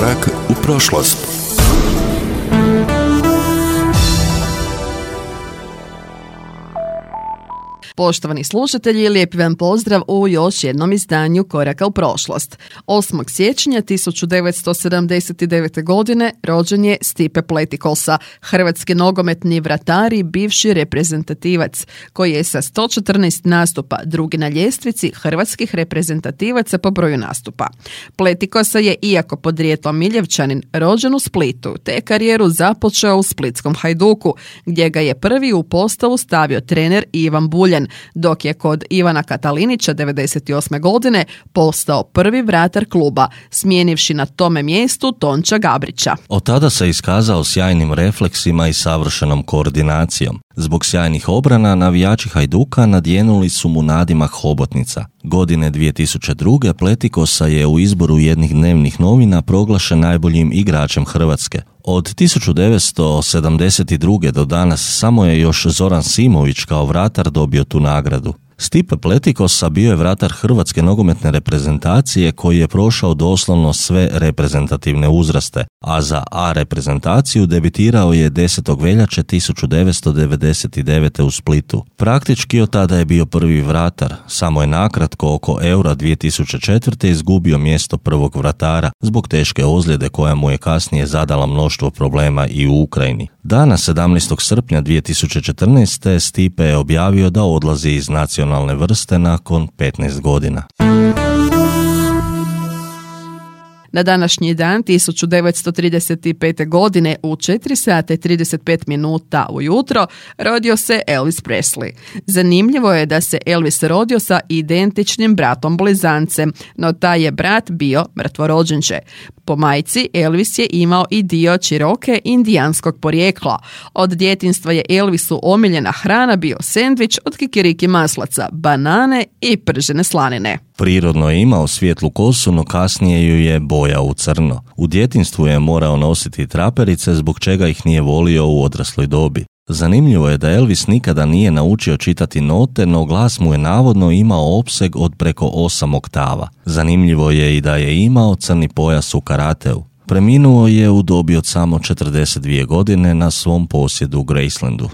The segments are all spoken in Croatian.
Korak u prošlost. Poštovani slušatelji, lijepi vam pozdrav u još jednom izdanju Koraka u prošlost. 8. siječnja 1979. godine rođen je Stipe Pletikosa, hrvatski nogometni vratar i bivši reprezentativac, koji je sa 114 nastupa drugi na ljestvici hrvatskih reprezentativaca po broju nastupa. Pletikosa je, iako podrijetlom Miljevčanin, rođen u Splitu, te karijeru započeo u splitskom Hajduku, gdje ga je prvi u postavu stavio trener Ivan Buljan, dok je kod Ivana Katalinića 98. godine postao prvi vratar kluba, smijenivši na tome mjestu Tonča Gabrića. Od tada se iskazao sjajnim refleksima i savršenom koordinacijom. Zbog sjajnih obrana, navijači Hajduka nadjenuli su mu nadimak hobotnica. Godine 2002. Pletikosa je u izboru jednih dnevnih novina proglašen najboljim igračem Hrvatske. Od 1972. do danas samo je još Zoran Simović kao vratar dobio tu nagradu. Stipe Pletikosa bio je vratar hrvatske nogometne reprezentacije koji je prošao doslovno sve reprezentativne uzraste, a za A reprezentaciju debitirao je 10. veljače 1999. u Splitu. Praktički od tada je bio prvi vratar, samo je nakratko oko Eura 2004. izgubio mjesto prvog vratara zbog teške ozljede koja mu je kasnije zadala mnoštvo problema i u Ukrajini. Dana 17. srpnja 2014. Stipe je objavio da odlazi iz nacionalne vrste nakon 15 godina. Na današnji dan 1935. godine u 4 sata i 35 minuta ujutro rodio se Elvis Presley. Zanimljivo je da se Elvis rodio sa identičnim bratom blizancem, no taj je brat bio mrtvorođenče. Po majci Elvis je imao i dio Cherokee indijanskog porijekla. Od djetinjstva je Elvisu omiljena hrana bio sendvič od kikiriki maslaca, banane i pržene slanine. Prirodno je imao svijetlu kosu, no kasnije ju je bojao u crno. U djetinjstvu je morao nositi traperice, zbog čega ih nije volio u odrasloj dobi. Zanimljivo je da Elvis nikada nije naučio čitati note, no glas mu je navodno imao opseg od preko 8 oktava. Zanimljivo je i da je imao crni pojas u karateu. Preminuo je u dobi od samo 42 godine na svom posjedu u Gracelandu.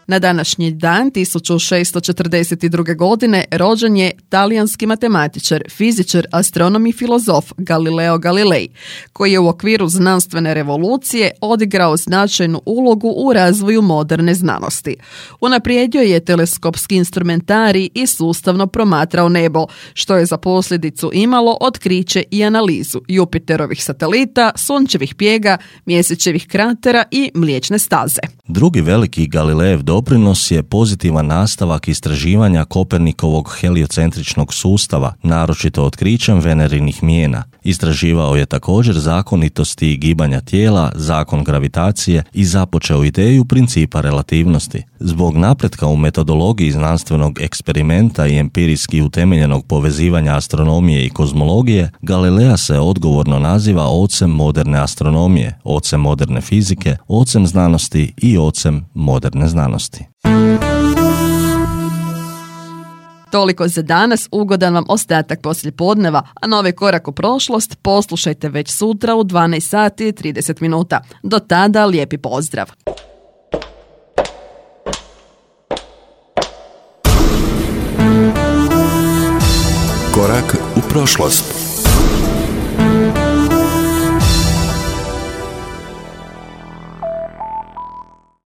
Na današnji dan 1642. godine rođen je talijanski matematičar, fizičar, astronom i filozof Galileo Galilei, koji je u okviru znanstvene revolucije odigrao značajnu ulogu u razvoju moderne znanosti. Unaprijedio je teleskopski instrumentarij i sustavno promatrao nebo, što je za posljedicu imalo otkriće i analizu Jupiterovih satelita, sunčevih pjega, mjesečevih kratera i Mliječne staze. Drugi veliki Galilejev doprinos je pozitivan nastavak istraživanja Kopernikovog heliocentričnog sustava, naročito otkrićem Venerinih mijena. Istraživao je također zakonitosti gibanja tijela, zakon gravitacije i započeo ideju principa relativnosti. Zbog napretka u metodologiji znanstvenog eksperimenta i empirijski utemeljenog povezivanja astronomije i kozmologije, Galilea se odgovorno naziva ocem moderne astronomije, ocem moderne fizike, ocem znanosti i ocem moderne znanosti. Toliko za danas, ugodan vam ostatak poslijepodneva, a novi Korak u prošlost poslušajte već sutra u 12 sati i 30 minuta. Do tada lijepi pozdrav! Korak u prošlost.